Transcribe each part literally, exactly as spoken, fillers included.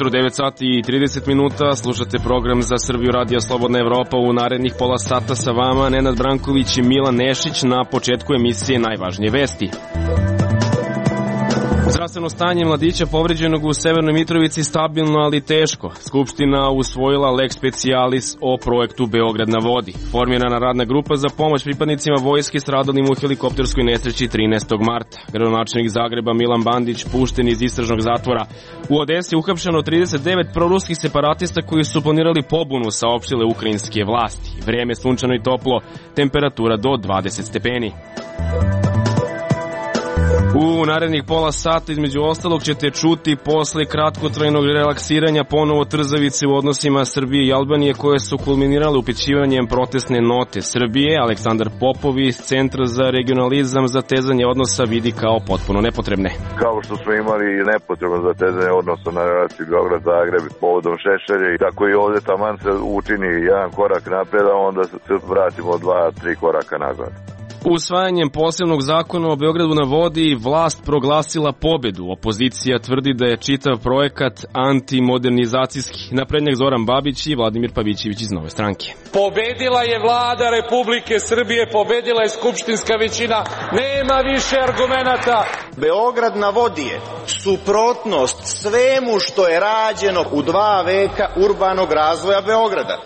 ujutru, devet sati i trideset minuta, slušate program za Srbiju Radija Slobodna Evropa. U narednih pola sata sa vama Nenad Branković i Milan Nešić. Na početku emisije najvažnije vesti. Zdravstveno stanje mladića povređenog u Severnoj Mitrovici stabilno, ali teško. Skupština usvojila lex specialis o projektu Beograd na vodi. Formirana radna grupa za pomoć pripadnicima vojske stradalim u helikopterskoj nesreći trinaestog marta. Gradonačelnik Zagreba Milan Bandić pušten iz istražnog zatvora. U Odesi uhapšeno trideset devet proruskih separatista koji su planirali pobunu, saopštile ukrajinske vlasti. Vreme sunčano i toplo, temperatura do dvadeset stepeni. U narednih pola sata između ostalog ćete čuti posle kratkotrajnog relaksiranja ponovo trzavice u odnosima Srbije i Albanije koje su kulminirale upućivanjem protestne note Srbije. Aleksandar Popov iz Centra za regionalizam zatezanje odnosa vidi kao potpuno nepotrebne. Kao što smo imali nepotrebno zatezanje odnosa na relaciji Beograd-Zagreb povodom Šešelja, i tako i ovde taman se učini jedan korak napred, a onda se vratimo dva, tri koraka nazad. Usvajanjem posebnog zakona o Beogradu na vodi vlast proglasila pobedu. Opozicija tvrdi da je čitav projekat antimodernizacijski. Naprednjak Zoran Babić i Vladimir Pavićević iz Nove stranke. Pobedila je vlada Republike Srbije, pobedila je skupštinska većina, nema više argumenata. Beograd na vodi je suprotnost svemu što je rađeno u dva veka urbanog razvoja Beograda.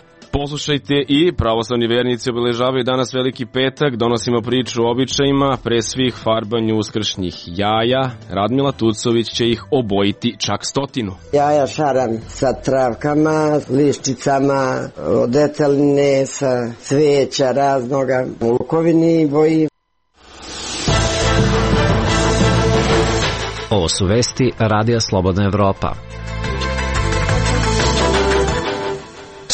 Poslušajte i pravoslavni vernici obeležavaju danas Veliki petak, donosimo priču o običajima, pre svih farbanju uskršnjih jaja. Radmila Tucović će ih obojiti čak stotinu. Jaja šaram sa travkama, liščicama, od deteline, sa cveća raznoga, u lukovini boji. Ovo su vesti Radija Slobodna Evropa.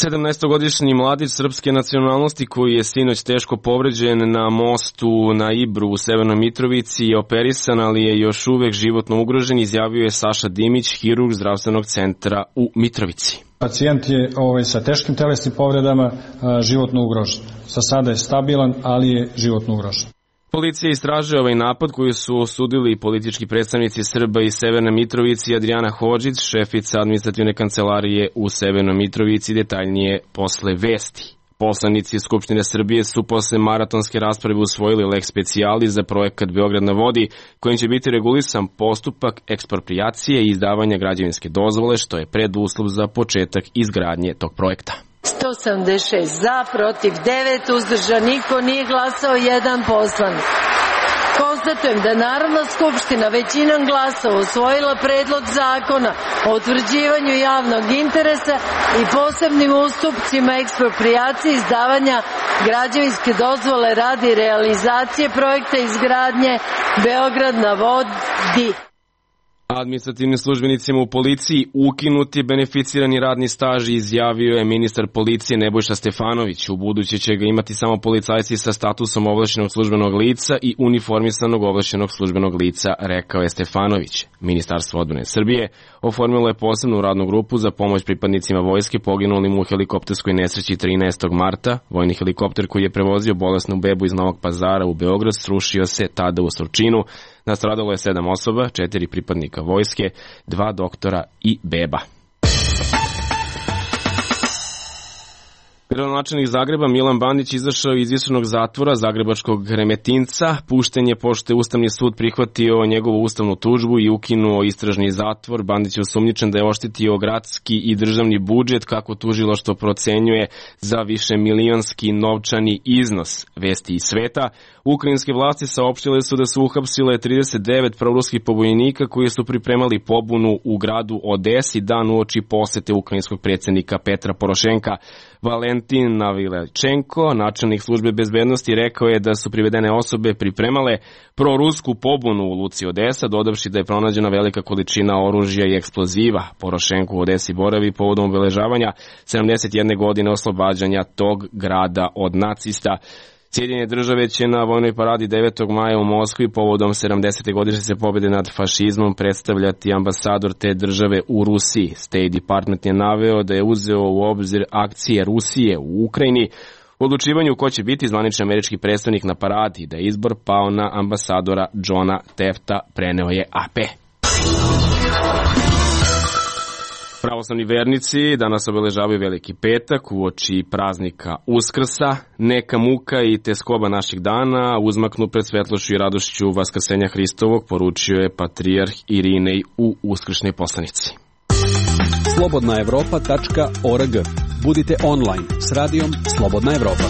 sedamnaestogodišnji mladić srpske nacionalnosti koji je sinoć teško povređen na mostu na Ibru u Severnoj Mitrovici je operisan, ali je još uvek životno ugrožen, izjavio je Saša Dimić, hirurg zdravstvenog centra u Mitrovici. Pacijent je ovaj, sa teškim telesnim povredama a, životno ugrožen. Sa sada je stabilan, ali je životno ugrožen. Policija istražuje ovaj napad koji su osudili politički predstavnici Srba iz Severne Mitrovici. Adriana Hodžić, šefica administrativne kancelarije u Severnoj Mitrovici, detaljnije posle vesti. Poslanici Skupštine Srbije su posle maratonske rasprave usvojili lex specialis za projekat Beograd na vodi, kojim će biti regulisan postupak eksproprijacije i izdavanja građevinske dozvole, što je preduslov za početak izgradnje tog projekta. sto sedamdeset šest za, protiv devet, uzdržan niko, nije glasao jedan poslanik. Konstatujem da je Narodna skupština većinom glasova usvojila predlog zakona o utvrđivanju javnog interesa i posebnim ustupcima eksproprijacije izdavanja građevinske dozvole radi realizacije projekta izgradnje Beograd na vodi. Administrativnim službenicima u policiji ukinuti beneficirani radni staž, izjavio je ministar policije Nebojša Stefanović. U buduće će ga imati samo policajci sa statusom ovlašćenog službenog lica i uniformisanog ovlašćenog službenog lica, rekao je Stefanović. Ministarstvo odbrane Srbije oformilo je posebnu radnu grupu za pomoć pripadnicima vojske poginulim u helikopterskoj nesreći trinaestog marta. Vojni helikopter koji je prevozio bolesnu bebu iz Novog Pazara u Beograd srušio se tada u Surčinu. Nastradalo je sedam osoba, četiri pripadnika vojske, dva doktora i beba. Gradonačelnik Zagreba Milan Bandić izašao iz istražnog zatvora zagrebačkog Remetinca. Pušten je pošto je Ustavni sud prihvatio njegovu ustavnu tužbu i ukinuo istražni zatvor. Bandić je osumnjičen da je oštetio gradski i državni budžet, kako tužilaštvo procenjuje, za višemilionski novčani iznos. Vesti iz sveta. Ukrajinske vlasti saopštile su da su uhapsile trideset devet proruskih pobunjenika koji su pripremali pobunu u gradu Odesi dan uoči posete ukrajinskog predsjednika Petra Porošenka. Valentin Navilečenko, načelnik službe bezbednosti, rekao je da su privedene osobe pripremale prorusku pobunu u luci Odesa, dodavši da je pronađena velika količina oružja i eksploziva. Porošenko u Odesi boravi povodom obeležavanja sedamdeset jedne godine oslobađanja tog grada od nacista. Sjedinjene države će na vojnoj paradi devetog maja u Moskvi povodom sedamdesete godišnjice pobjede nad fašizmom predstavljati ambasador te države u Rusiji. State Department je naveo da je uzeo u obzir akcije Rusije u Ukrajini u odlučivanju ko će biti zvanični američki predstavnik na paradi, da je izbor pao na ambasadora Johna Tefta, preneo je A P. Pravoslavni vernici danas obeležavaju Veliki petak uoči praznika Uskrsa. Neka muka i teskoba naših dana uzmaknu pred svetlošću i radošću Vaskrsenja Hristovog, poručio je patrijarh Irinej u uskršnjoj poslanici. slobodna evropa tačka org. Budite online s radijom Slobodna Evropa.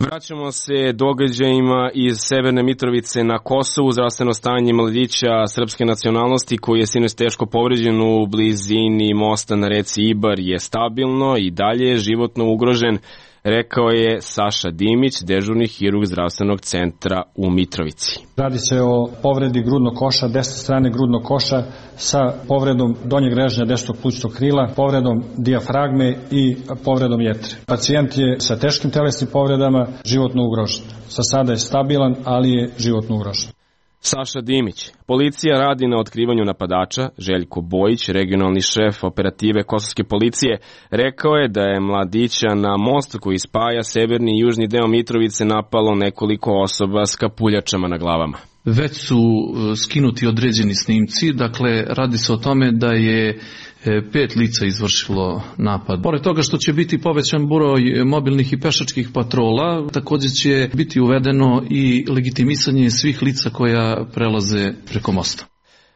Vraćamo se događajima iz Severne Mitrovice na Kosovu. Zdravstveno stanje mladića srpske nacionalnosti koji je sinoć teško povređen u blizini mosta na reci Ibar je stabilno i dalje je životno ugrožen, rekao je Saša Dimić, dežurni hirurg zdravstvenog centra u Mitrovici. Radi se o povredi grudnog koša, desne strane grudnog koša sa povredom donjeg režnja desnog plućnog krila, povredom dijafragme i povredom jetre. Pacijent je sa teškim telesnim povredama životno ugrožen. Za sada je stabilan, ali je životno ugrožen. Saša Dimić. Policija radi na otkrivanju napadača. Željko Bojić, regionalni šef operative kosovske policije, rekao je da je mladića na mostu koji spaja severni i južni deo Mitrovice napalo nekoliko osoba s kapuljačama na glavama. Već su skinuti određeni snimci, dakle radi se o tome da je pet lica izvršilo napad. Pored toga što će biti povećan broj mobilnih i pešačkih patrola, također će biti uvedeno i legitimisanje svih lica koja prelaze preko mosta.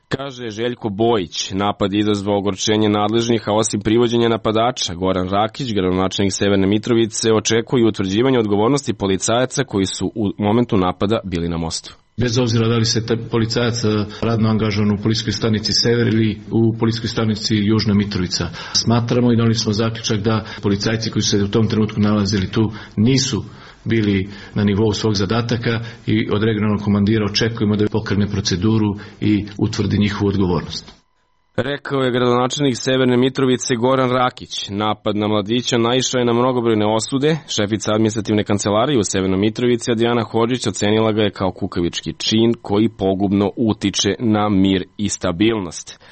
Kaže Željko Bojić, napad je izazvao ogorčenje nadležnih, a osim privođenja napadača, Goran Rakić, gradonačelnik Severne Mitrovice, očekuje utvrđivanje odgovornosti policajaca koji su u momentu napada bili na mostu. Bez obzira da li se policajac radno angažovan u policijskoj stanici Sever ili u policijskoj stanici Južna Mitrovica. Smatramo i donijeli smo zaključak da policajci koji su se u tom trenutku nalazili tu nisu bili na nivou svog zadataka i od regionalnog komandira očekujemo da pokrene proceduru i utvrdi njihovu odgovornost. Rekao je gradonačelnik Severne Mitrovice Goran Rakić. Napad na mladića naišao je na mnogobrojne osude. Šefica administrativne kancelarije u Severnoj Mitrovici Adijana Hodžić ocenila ga je kao kukavički čin koji pogubno utiče na mir i stabilnost.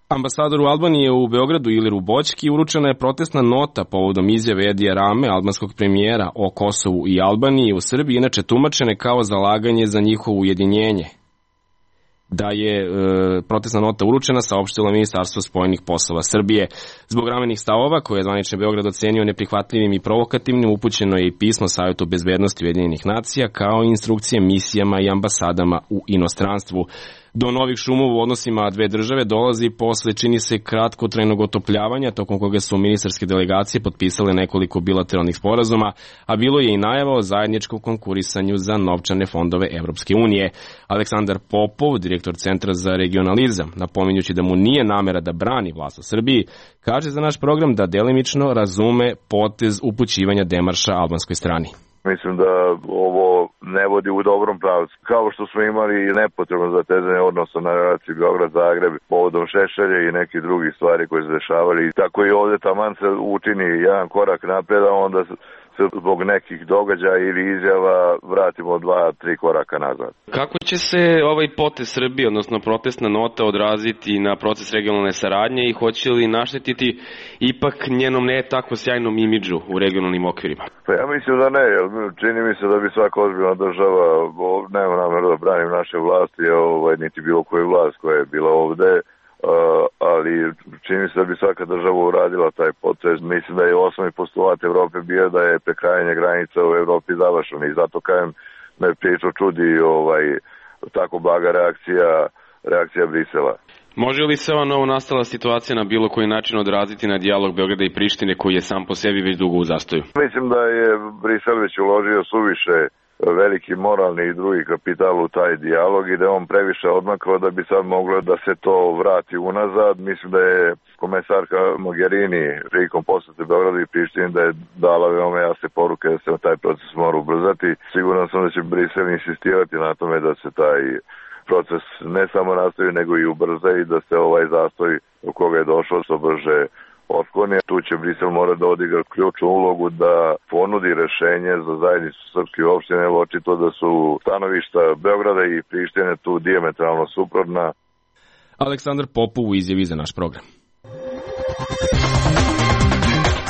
Ambasadoru Albanije u Beogradu Iliru Boćki uručena je protestna nota povodom izjave Edija Rame, albanskog premijera, o Kosovu i Albaniji u Srbiji, inače tumačene kao zalaganje za njihovo ujedinjenje. Da je e, protestna nota uručena, saopštilo Ministarstvo spoljnih poslova Srbije. Zbog ramenih stavova, koje je zvanični Beograd ocenio neprihvatljivim i provokativnim, upućeno je i pismo Savjetu bezbednosti Ujedinjenih nacija, kao i instrukcije misijama i ambasadama u inostranstvu. Do novih šumova u odnosima dve države dolazi posle, čini se, kratkotrajnog otopljavanja, tokom koga su ministarske delegacije potpisale nekoliko bilateralnih sporazuma, a bilo je i najava o zajedničkom konkurisanju za novčane fondove Evropske unije. Aleksandar Popov, direktor Centra za regionalizam, napominjući da mu nije namera da brani vlast u Srbiji, kaže za naš program da delimično razume potez upućivanja demarša albanskoj strani. Mislim da ovo ne vodi u dobrom pravcu. Kao što smo imali nepotrebno zatezanje odnosa na relaciji Beograd-Zagreb povodom Šešelja i nekih drugih stvari koje se dešavali. Tako i ovdje taman se učini jedan korak napred, a onda se zbog nekih događaja ili izjava vratimo dva, tri koraka nazad. Kako će se ovaj potez Srbije, odnosno protestna nota, odraziti na proces regionalne saradnje i hoće li naštetiti ipak njenom ne tako sjajnom imidžu u regionalnim okvirima? Pa ja mislim da ne, čini mi se da bi svaka ozbiljna država, nema nameru da branim naše vlasti, ovaj, niti bilo koju vlast koja je bila ovde, Uh, ali čini mi se da bi svaka država uradila taj potez. Mislim da je osnovni postulat Evrope bio da je prekrajanje granica u Evropi završeno i zato kajem me priču čudi ovaj, tako blaga reakcija, reakcija Brisela. Može li se ova novo nastala situacija na bilo koji način odraziti na dijalog Beograda i Prištine koji je sam po sebi već dugo u zastoju? Mislim da je Brisel već uložio suviše veliki moralni i drugi kapital u taj dijalog i da je on previše odmakao da bi sad moglo da se to vrati unazad. Mislim da je komesarka Mogherini prilikom posete Beogradu i Prištini da je dala veoma jasne poruke da se taj proces mora ubrzati. Siguran sam da će Brisel insistirati na tome da se taj proces ne samo nastavi nego i ubrza i da se ovaj zastoj u koga je došao što brže otkloni. Tu će Brisel mora da odigra ključnu ulogu da ponudi rešenje za zajednicu srpskih opština, jer očito da su stanovišta Beograda i Prištine tu dijametralno suprotna. Aleksandar Popov u izjavi za naš program.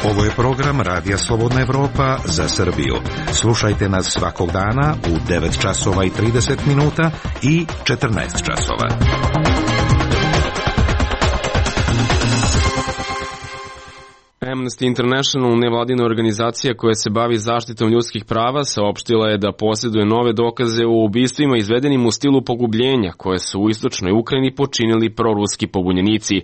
Ovo je program Radija Slobodna Evropa za Srbiju. Slušajte nas svakog dana u devet časova i trideset minuta i četrnaest časova. Amnesty International, nevladina organizacija koja se bavi zaštitom ljudskih prava, saopštila je da posjeduje nove dokaze o ubistvima izvedenim u stilu pogubljenja koje su u istočnoj Ukrajini počinili proruski pobunjenici.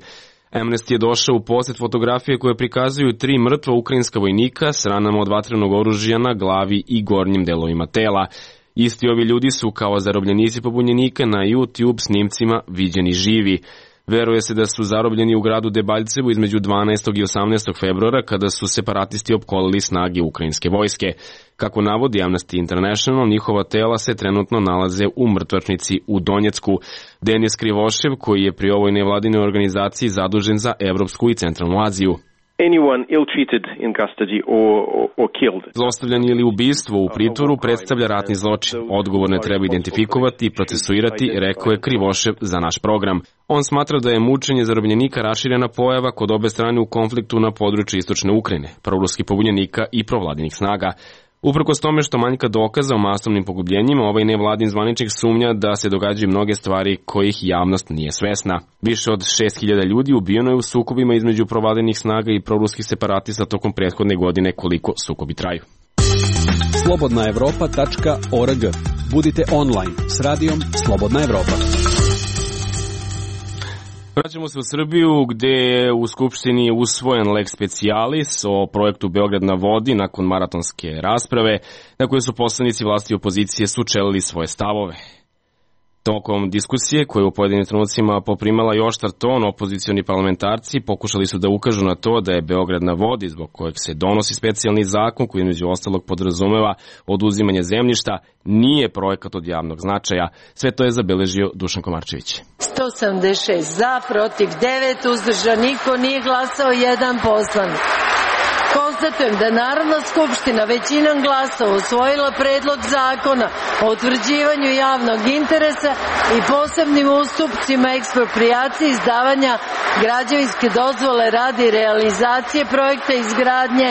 Amnesty je došao u posjed fotografije koje prikazuju tri mrtva ukrajinska vojnika s ranama od vatrenog oružja na glavi i gornjim delovima tela. Isti ovi ljudi su kao zarobljenici pobunjenika na YouTube snimcima viđeni živi. Veruje se da su zarobljeni u gradu Debaljevo između dvanaestog i osamnaestog februara kada su separatisti opkolili snage ukrajinske vojske. Kako navodi Amnesty International, njihova tela se trenutno nalaze u mrtvačnici u Donjecku. Denis Krivošev, koji je pri ovoj nevladinoj organizaciji zadužen za Evropsku i Centralnu Aziju. Anyone ill-treated in custody or, or, or killed. Zlostavljanje ili ubistvo u pritvoru predstavlja ratni zločin. Odgovorne treba identifikovati i procesuirati, rekao je Krivošev za naš program. On smatra da je mučenje zarobljenika raširena pojava kod obe strane u konfliktu na području istočne Ukrajine, proruskih pobunjenika i provladinih snaga. Uprkos tome što manjka dokaza o masovnim pogubljenjima, ovaj nevladin zvaničnik sumnja da se događaju mnoge stvari kojih javnost nije svesna. Više od šest hiljada ljudi ubijeno je u sukobima između provladinih snaga i proruskih separatista tokom prethodne godine koliko sukobi traju. slobodna evropa tačka org. Budite online s radijom Slobodna Evropa. Vraćamo se u Srbiju gde je u Skupštini usvojen lex specialis o projektu Beograd na vodi nakon maratonske rasprave na kojoj su poslanici vlasti i opozicije sučelili svoje stavove. Tokom diskusije, koje u pojedinim trenucima poprimala i oštar ton, opozicioni parlamentarci pokušali su da ukažu na to da je Beograd na vodi, zbog kojeg se donosi specijalni zakon koji među ostalog podrazumeva oduzimanje zemljišta, nije projekat od javnog značaja. Sve to je zabeležio Dušan Komarčević. sto sedamdeset šest za, protiv devet, uzdržan niko, nije glasao jedan poslanik. Konstatujem da je Narodna skupština većinom glasova usvojila predlog zakona o utvrđivanju javnog interesa i posebnim ustupcima eksproprijacije izdavanja građevinske dozvole radi realizacije projekta izgradnje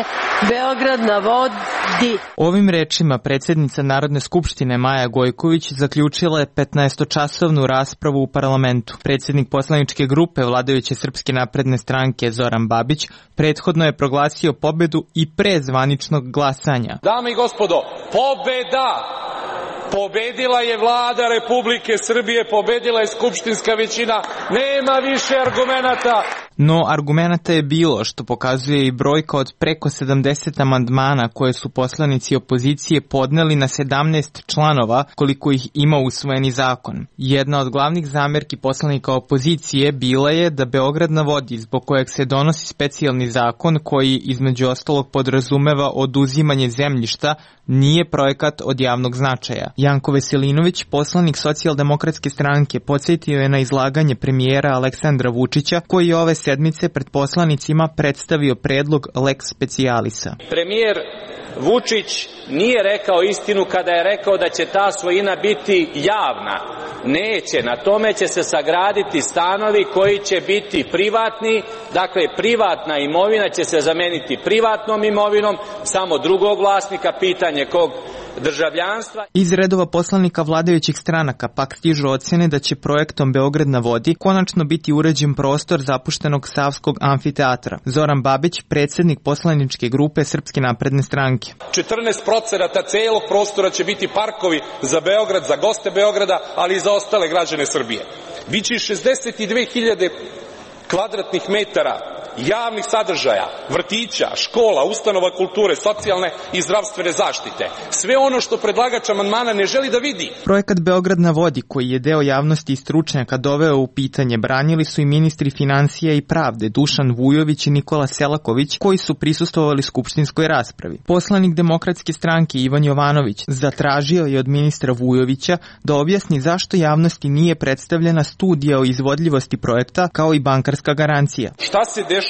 Beograd na vodi. Ovim rečima predsjednica Narodne skupštine Maja Gojković zaključila je petnaestočasovnu raspravu u parlamentu. Predsjednik poslaničke grupe vladajuće Srpske napredne stranke Zoran Babić prethodno je proglasio pobedu i pre zvaničnog glasanja. Dame i gospodo, pobeda! Pobedila je vlada Republike Srbije, pobedila je skupštinska većina, nema više argumenata. No, argumenata je bilo, što pokazuje i brojka od preko sedamdeset amandmana koje su poslanici opozicije podneli na sedamnaest članova koliko ih ima usvojeni zakon. Jedna od glavnih zamerki poslanika opozicije bila je da Beograd na vodi, zbog kojeg se donosi specijalni zakon koji između ostalog podrazumeva oduzimanje zemljišta, nije projekat od javnog značaja. Janko Veselinović, poslanik Socijaldemokratske stranke, podsjetio je na izlaganje premijera Aleksandra Vučića koji je ove sedmice pred poslanicima predstavio predlog lex specialisa. Premijer Vučić nije rekao istinu kada je rekao da će ta svojina biti javna. Neće, na tome će se sagraditi stanovi koji će biti privatni, dakle privatna imovina će se zameniti privatnom imovinom, samo drugog vlasnika, pitanje kog državljanstva. Iz redova poslanika vladajućih stranaka pak stižu ocjene da će projektom Beograd na vodi konačno biti uređen prostor zapuštenog Savskog amfiteatra. Zoran Babić, predsjednik poslaničke grupe Srpske napredne stranke. četrnaest procenata celog prostora će biti parkovi za Beograd, za goste Beograda, ali i za ostale građane Srbije. Biće šezdeset dve hiljade kvadratnih metara javnih sadržaja, vrtića, škola, ustanova kulture, socijalne i zdravstvene zaštite. Sve ono što predlagač amandmana ne želi da vidi. Projekat Beograd na vodi, koji je deo javnosti i stručnjaka doveo u pitanje, branili su i ministri financija i pravde Dušan Vujović i Nikola Selaković, koji su prisustvovali skupštinskoj raspravi. Poslanik Demokratske stranke Ivan Jovanović zatražio je od ministra Vujovića da objasni zašto javnosti nije predstavljena studija o izvodljivosti projekta kao i bankarska garancija. Šta se dešava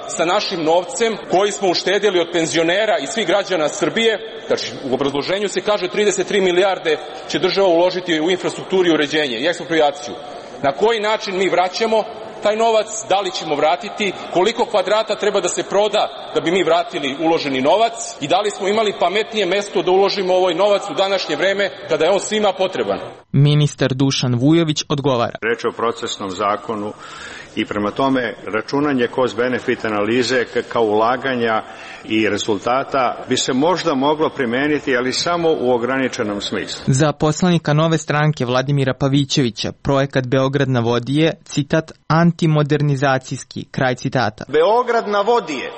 sa našim novcem koji smo uštedjeli od penzionera i svih građana Srbije? Znači, u obrazloženju se kaže trideset tri milijarde će država uložiti u infrastrukturu i uređenje i eksproprijaciju. Na koji način mi vraćamo taj novac, da li ćemo vratiti, koliko kvadrata treba da se proda da bi mi vratili uloženi novac i da li smo imali pametnije mesto da uložimo ovaj novac u današnje vreme kada je on svima potreban. Ministar Dušan Vujović odgovara. Reč je o procesnom zakonu i prema tome računanje cost-benefit analize kao ulaganja i rezultata bi se možda moglo primeniti, ali samo u ograničenom smislu. Za poslanika Nove stranke Vladimira Pavićevića projekat Beograd na vodi je, citat, antimodernizacijski, kraj citata. Beograd na vodi je,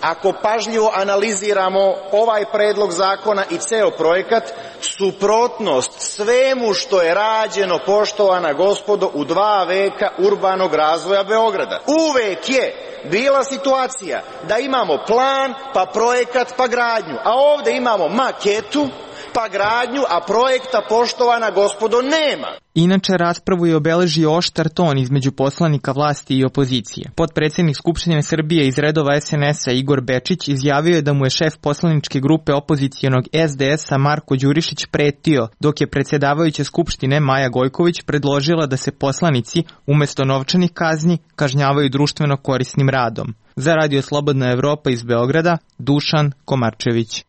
ako pažljivo analiziramo ovaj predlog zakona i ceo projekat, suprotnost svemu što je rađeno, poštovana gospodo, u dva veka urbanog razvoja Beograda. Uvek je bila situacija da imamo plan, pa projekat, pa gradnju, a ovde imamo maketu, pa gradnju, a projekta, poštovana gospodo, nema. Inače, raspravu je obeležio oštar ton između poslanika vlasti i opozicije. Potpredsednik Skupštine Srbije iz redova es en es a Igor Bečić izjavio je da mu je šef poslaničke grupe opozicijonog es de es a Marko Đurišić pretio, dok je predsjedavajuća Skupštine Maja Gojković predložila da se poslanici umesto novčanih kazni kažnjavaju društveno korisnim radom. Za Radio Slobodna Evropa iz Beograda, Dušan Komarčević.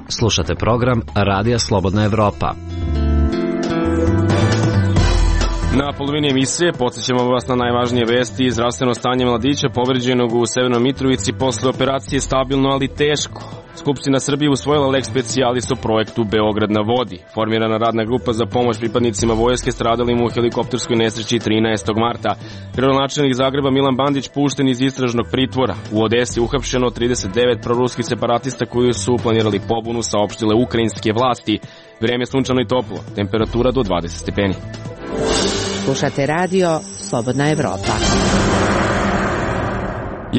Slušate program Radija Slobodna Evropa. Na polovini emisije podsjećamo vas na najvažnije vesti. Zdravstveno stanje mladića povređenog u Severnoj Mitrovici posle operacije stabilno, ali teško. Skupština Srbije usvojila lex specialis o projektu Beograd na vodi. Formirana radna grupa za pomoć pripadnicima vojske stradalim u helikopterskoj nesreći trinaestog marta. Gradonačelnik Zagreba Milan Bandić pušten iz istražnog pritvora. U Odesi uhapšeno trideset devet proruskih separatista koji su planirali pobunu, saopštile ukrajinske vlasti. Vreme je sunčano i toplo, temperatura do dvadeset stepeni. Slušate radio Slobodna Evropa.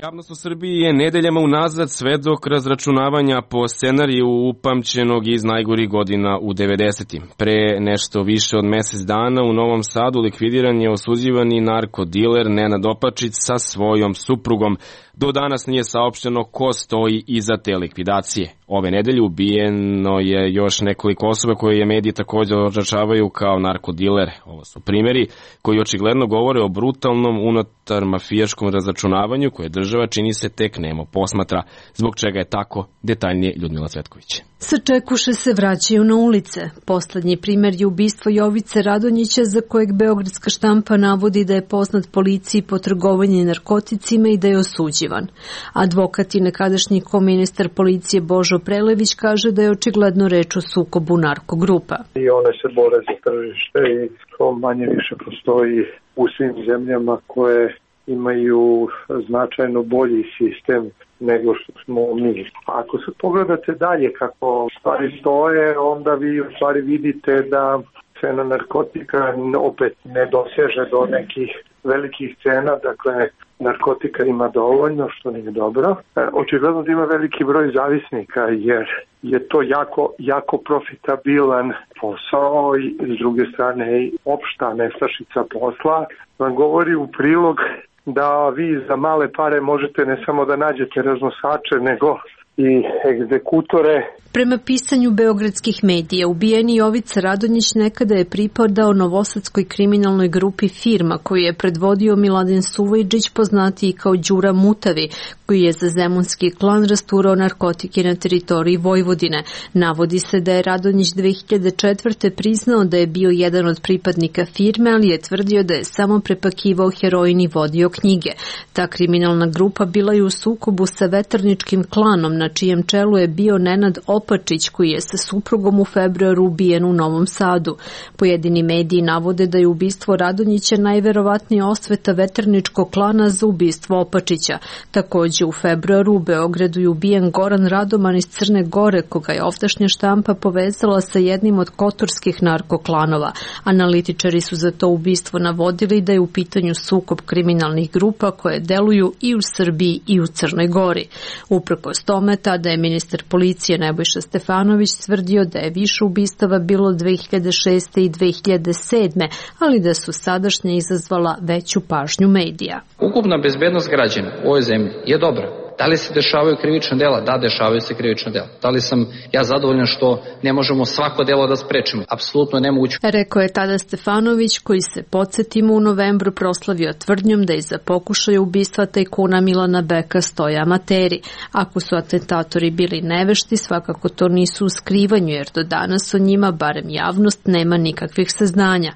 Javnost u Srbiji je nedeljama unazad svedok razračunavanja po scenariju upamćenog iz najgorih godina u devedesetim. Pre nešto više od mesec dana u Novom Sadu likvidiran je osuđivani narkodiler Nenad Opačić sa svojom suprugom. Do danas nije saopšteno ko stoji iza te likvidacije. Ove nedelje ubijeno je još nekoliko osoba koje je mediji također označavaju kao narkodilere. Ovo su primjeri koji očigledno govore o brutalnom unutar mafijaškom razračunavanju koje država, čini se, tek nemo posmatra. Zbog čega je tako, detaljnije Ljudmila Cvetković. Sačekuše se vraćaju na ulice. Poslednji primjer je ubistvo Jovice Radonjića, za kojeg beogradska štampa navodi da je poznat policiji po trgovanju narkoticima i da je osuđivan. Advokat i nekadašnji koministar policije Božo Prelević kaže da je očigledno reč o sukobu narkogrupa. I one se bore za tržište i to manje više postoji u svim zemljama koje imaju značajno bolji sistem nego što smo mi. Ako se pogledate dalje kako stvari stoje, onda vi u stvari vidite da cena narkotika opet ne doseže do nekih velikih cena, dakle narkotika ima dovoljno, što nije dobro. Očigledno da ima veliki broj zavisnika, jer je to jako, jako profitabilan posao i s druge strane i opšta nestašica posla vam govori u prilog da vi za male pare možete ne samo da nađete raznosače, nego i egzekutore. Prema pisanju beogradskih medija, ubijeni Jovica Radonjić nekada je pripadao novosadskoj kriminalnoj grupi Firma, koju je predvodio Miladin Suvajđić, poznatiji kao Đura Mutavi, koji je za zemunski klan rasturao narkotike na teritoriji Vojvodine. Navodi se da je Radonjić dve hiljade četvrte. priznao da je bio jedan od pripadnika Firme, ali je tvrdio da je samo prepakivao heroin i vodio knjige. Ta kriminalna grupa bila je u sukobu sa veterničkim klanom, na čijem čelu je bio Nenad Opačić, koji je sa suprugom u februaru ubijen u Novom Sadu. Pojedini mediji navode da je ubistvo Radonjića najverovatnija osveta veterničkog klana za ubistvo Opačića. Takođe u februaru u Beogradu je ubijen Goran Radoman iz Crne Gore, koga je ovdašnja štampa povezala sa jednim od kotorskih narkoklanova. Analitičari su za to ubistvo navodili da je u pitanju sukob kriminalnih grupa koje deluju i u Srbiji i u Crnoj Gori. Uprkos tome, tada je ministar policije Nebojša Stefanović tvrdio da je više ubistava bilo dve hiljade šeste. i dve hiljade sedme. ali da su sadašnje izazvala veću pažnju medija. Ukupna bezbednost građana u ovoj zemlji je dobra. Da li se dešavaju krivična dela? Da, dešavaju se krivična dela. Da li sam ja zadovoljan što ne možemo svako delo da sprečimo? Apsolutno nemoguće. Rekao je tada Stefanović, koji se, podsjetimo, u novembru proslavio tvrdnjom da iza pokušaja ubistva tajkuna Milana Beka stoje amateri. Ako su atentatori bili nevešti, svakako to nisu u skrivanju, jer do danas o njima, barem javnost, nema nikakvih saznanja.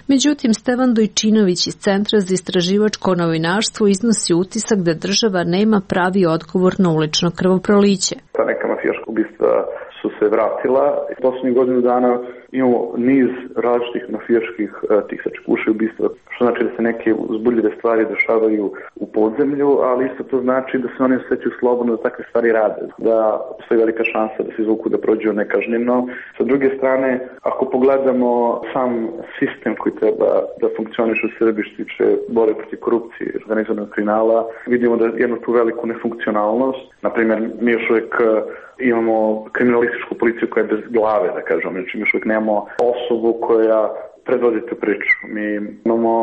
Međutim, Stevan Dojčinović iz Centra za istraživačko novinarstvo iznosi utisak da država nema pravi odgovor na ulično krvoproliće. Ta neka mafijaška ubistva su se vratila. Poslednjih godinu dana imamo niz različitih mafijaških tih sačekuša ubistva, što znači da se neke uzbudljive stvari dešavaju u podzemlju, ali isto to znači da se oni osjećaju slobodno da takve stvari rade, da postoji velika šansa da se izvuku da prođu nekažnjeno. Sa druge strane, ako pogledamo sam sistem koji treba da funkcioniše u Srbiji što tiče borbe protiv korupcije i organizovanog kriminala, vidimo da jednu tu veliku nefunkcionalnost. Naprimjer, mi još uvijek imamo kriminalističku policiju koja je bez glave, da kažem, znači mi još uvijek nemamo osobu koja predvodi tu priču. Mi imamo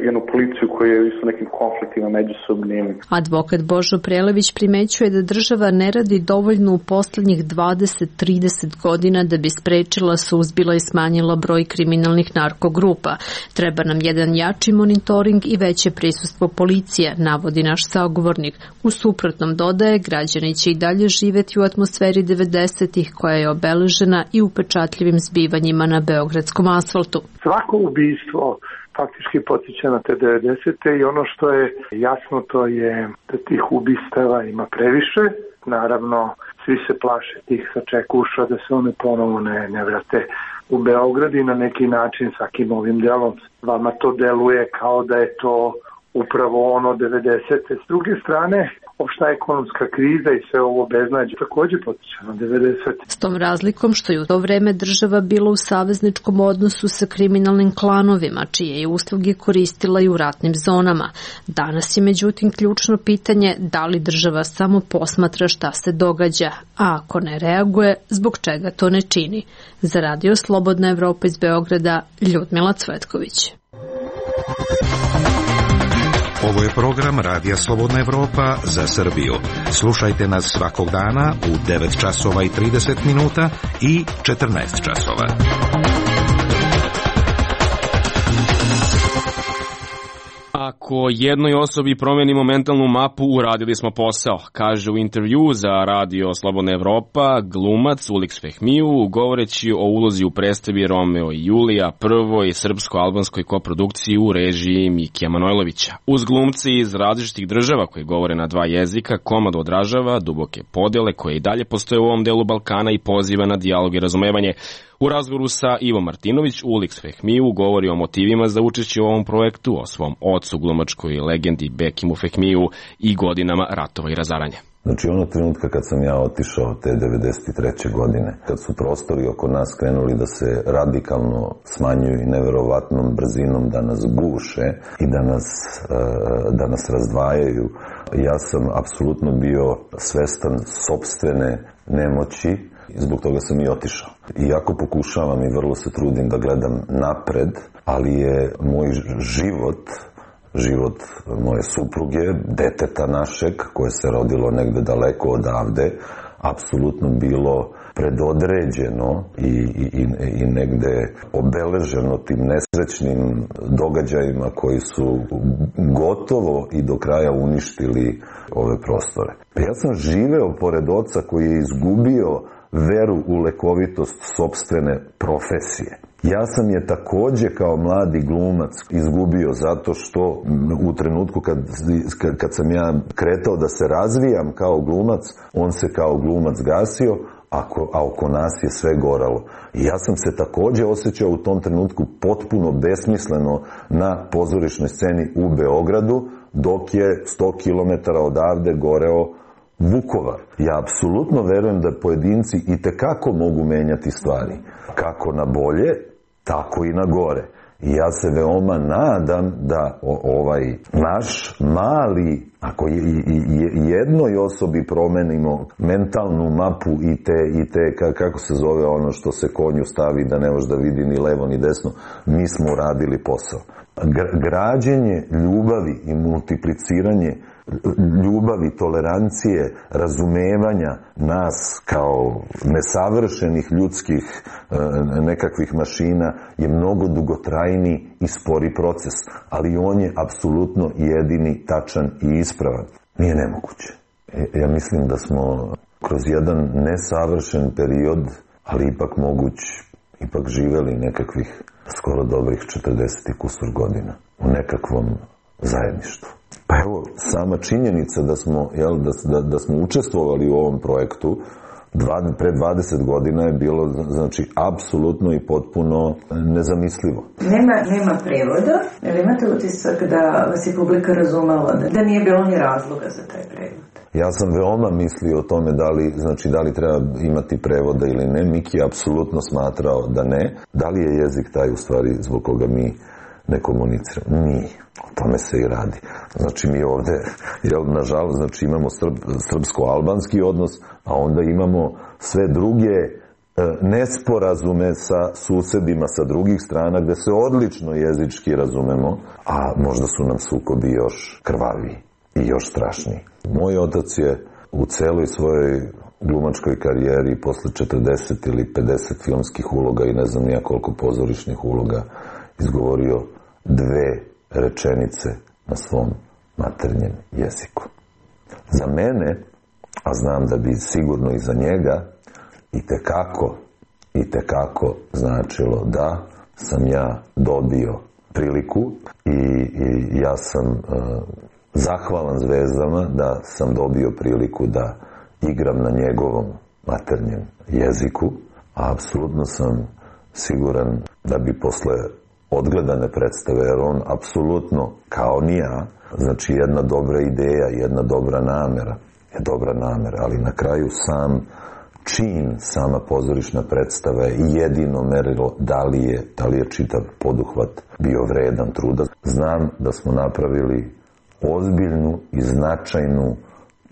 jednu policiju koja je isto nekim konfliktima međusobnim. Advokat Božo Prelević primećuje da država ne radi dovoljno u poslednjih dvadeset do trideset godina da bi sprečila, suzbila i smanjila broj kriminalnih narkogrupa. Treba nam jedan jači monitoring i veće prisustvo policije, navodi naš sagovornik. U suprotnom, dodaje, građani će i dalje živeti u atmosferi devedesetih koja je obeležena i upečatljivim zbivanjima na beogradskom asfaltu. Svako ubistvo faktički potiče na te devedesete i ono što je jasno to je da tih ubistava ima previše. Naravno, svi se plaše tih sačekuša da se one ponovo ne, ne vrate u Beograd i na neki način svakim ovim delom vama to deluje kao da je to upravo ono devedesete. S druge strane, opšta ekonomska kriza i sve ovo beznađe takođe potiče na devedesete. S tom razlikom što je u to vreme država bila u savezničkom odnosu sa kriminalnim klanovima, čije je usluge koristila i u ratnim zonama. Danas je međutim ključno pitanje da li država samo posmatra šta se događa, a ako ne reaguje, zbog čega to ne čini. Za Radio Slobodna Evropa iz Beograda, Ljudmila Cvetković. Ovo je program Radija Slobodna Evropa za Srbiju. Slušajte nas svakog dana u devet časova i trideset minuta i četrnaest časova. Ako jednoj osobi promenimo mentalnu mapu, uradili smo posao, kaže u intervju za Radio Slobodna Evropa glumac Uliks Fehmiju, govoreći o ulozi u predstavi Romeo i Julija, prvoj srpsko-albanskoj koprodukciji u režiji Mikija Manojlovića. Uz glumce iz različitih država koji govore na dva jezika, komad odražava duboke podele koje i dalje postoje u ovom delu Balkana i poziva na dijalog i razumevanje. U razgovoru sa Ivo Martinović, Uliks Fehmiju govori o motivima za učešće u ovom projektu, o svom ocu, glumačkoj legendi Bekimu Fehmiju i godinama ratova i razaranja. Znači, ono trenutka kad sam ja otišao te devedeset treće godine, kad su prostori oko nas krenuli da se radikalno smanjuju i neverovatnom brzinom da nas guše i da nas, da nas razdvajaju, ja sam apsolutno bio svestan sopstvene nemoći. Zbog toga sam i otišao. Iako pokušavam i vrlo se trudim da gledam napred, ali je moj život, život moje supruge, deteta našeg, koje se rodilo negde daleko odavde, apsolutno bilo predodređeno i, i, i negde obeleženo tim nesrećnim događajima koji su gotovo i do kraja uništili ove prostore. Ja sam živeo pored oca koji je izgubio veru u lekovitost sopstvene profesije. Ja sam je takođe kao mladi glumac izgubio zato što u trenutku kad, kad sam ja kretao da se razvijam kao glumac, on se kao glumac gasio, a oko nas je sve goralo. I ja sam se takođe osjećao u tom trenutku potpuno besmisleno na pozorišnoj sceni u Beogradu, dok je sto kilometara odavde goreo Vukovar. Ja apsolutno verujem da pojedinci i tekako mogu menjati stvari. Kako na bolje, tako i na gore. I ja se veoma nadam da ovaj naš mali, ako jednoj osobi promenimo mentalnu mapu i te, i te, kako se zove ono što se konju stavi da ne može da vidi ni levo ni desno, mi smo uradili posao. građenje ljubavi i multipliciranje ljubavi, tolerancije, razumevanja nas kao nesavršenih ljudskih nekakvih mašina je mnogo dugotrajniji i spori proces, ali on je apsolutno jedini, tačan i ispravan. Nije nemoguće. Ja mislim da smo kroz jedan nesavršen period, ali ipak moguć, ipak živeli nekakvih skoro dobrih četrdeset i kusur godina u nekakvom zajedništvu. Pa evo, sama činjenica da smo, jel, da, da, da smo učestvovali u ovom projektu dva, pre dvadeset godina je bilo, znači, apsolutno i potpuno nezamislivo. Nema, nema prevoda, ali imate utisak da vas je publika razumela, da nije bilo ni razloga za taj prevod? Ja sam veoma mislio o tome da li, znači, da li treba imati prevoda ili ne. Miki je apsolutno smatrao da ne. Da li je jezik taj u stvari zbog koga mi ne komuniciramo? Nije. O tome se i radi. Znači mi ovde, jel, nažalost, znači imamo srb, srpsko-albanski odnos, a onda imamo sve druge e, nesporazume sa susedima sa drugih strana gde se odlično jezički razumemo, a možda su nam sukobi još krvaviji i još strašniji. Moj otac je u celoj svojoj glumačkoj karijeri posle četrdeset ili pedeset filmskih uloga i ne znam nija koliko pozorišnih uloga izgovorio dve rečenice na svom maternjem jeziku. Za mene, a znam da bi sigurno i za njega, i tekako, i tekako značilo da sam ja dobio priliku i, i ja sam uh, zahvalan zvezdama da sam dobio priliku da igram na njegovom maternjem jeziku, a apsolutno sam siguran da bi posle odgledane predstave, jer on apsolutno, kao ni ja, znači jedna dobra ideja, jedna dobra namera, je dobra namera, ali na kraju sam čin, sama pozorišna predstava je jedino merilo da li je, da li je čitav poduhvat bio vredan truda. Znam da smo napravili ozbiljnu i značajnu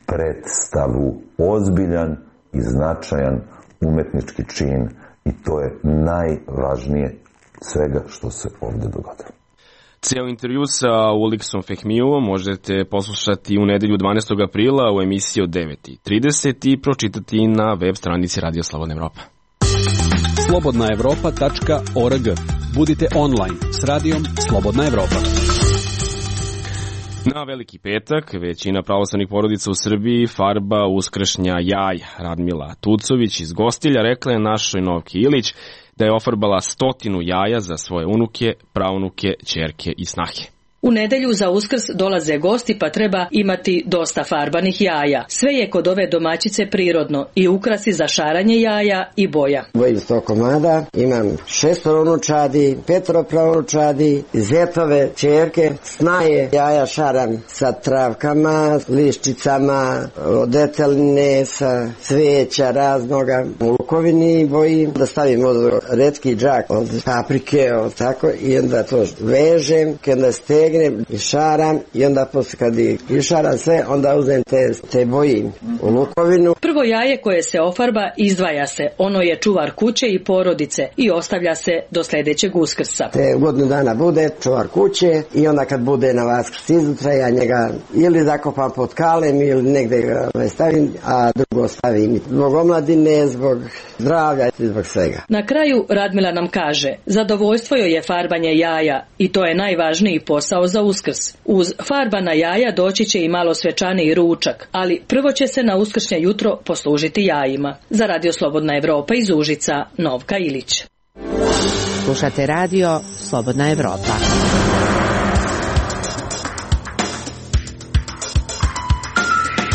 predstavu, ozbiljan i značajan umetnički čin i to je najvažnije svega što se ovde dogodilo. Cijel intervju sa Uliksom Fehmijovom možete poslušati u nedelju dvanaestog aprila u emisiji od devet i trideset i pročitati na web stranici Radio Slobodna Evropa. slobodna evropa tačka org. Budite online s radijom Slobodna Evropa. Na Veliki petak većina pravoslavnih porodica u Srbiji farba uskršnja jaja. Radmila Tucović iz Gostilja rekla je našoj Novki Ilić da je ofarbala stotinu jaja za svoje unuke, praunuke, ćerke i snahe. U nedelju za Uskrs dolaze gosti pa treba imati dosta farbanih jaja. Sve je kod ove domaćice prirodno i ukrasi za šaranje jaja i boja. Bojim sto komada, imam šestoro unučadi, petoro praunučadi, zetove, ćerke, snaje. Jaja šaram sa travkama, liščicama, od deteline, sa cveća raznoga. U lukovini bojim da stavim od retki džak od paprike, od tako, i onda to vežem, kada ste i šaram i onda posle kad išaram sve, onda uzem te, te boji u lukovinu. Prvo jaje koje se ofarba izdvaja se, ono je čuvar kuće i porodice i ostavlja se do sledećeg Uskrsa. Te godinu dana bude čuvar kuće i onda kad bude na Vaskrs izutra ja njega ili zakopam pod kalem ili negde ga stavim, a drugo stavim zbog omladine, zbog zdravlja i zbog svega. Na kraju Radmila nam kaže, zadovoljstvo joj je farbanje jaja i to je najvažniji posao za Uskrs. Uz farbana jaja doći će i malo svečaniji ručak, ali prvo će se na uskršnje jutro poslužiti jajima. Za Radio Slobodna Evropa iz Užica, Novka Ilić. Slušate Radio Slobodna Evropa.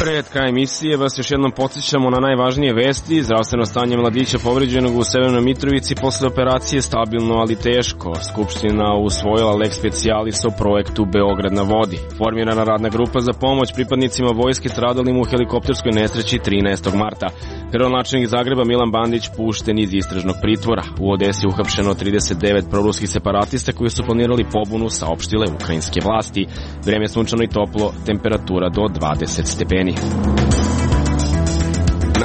Pred kraj emisije vas još jednom podsjećamo na najvažnije vesti. Zdravstveno stanje mladića povređenog u Severnoj Mitrovici posle operacije stabilno, ali teško. Skupština usvojila lex specialis o projektu Beograd na vodi. Formirana radna grupa za pomoć pripadnicima vojske stradalim u helikopterskoj nesreći trinaestog marta. Gradonačelnik Zagreba Milan Bandić pušten iz istražnog pritvora. U Odesi uhapšeno trideset devet proruskih separatista koji su planirali pobunu, saopštile ukrajinske vlasti. Vreme sunčano i toplo, temperatura do dvadeset stepeni.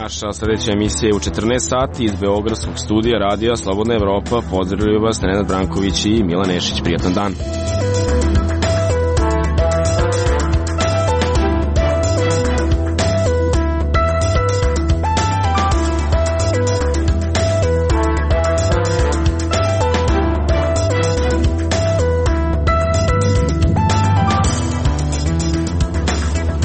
Naša sledeća emisija je u četrnaest sati iz Beogradskog studija Radija Slobodna Evropa. Pozdravljaju vas Nenad Branković i Milan Nešić. Prijatan dan.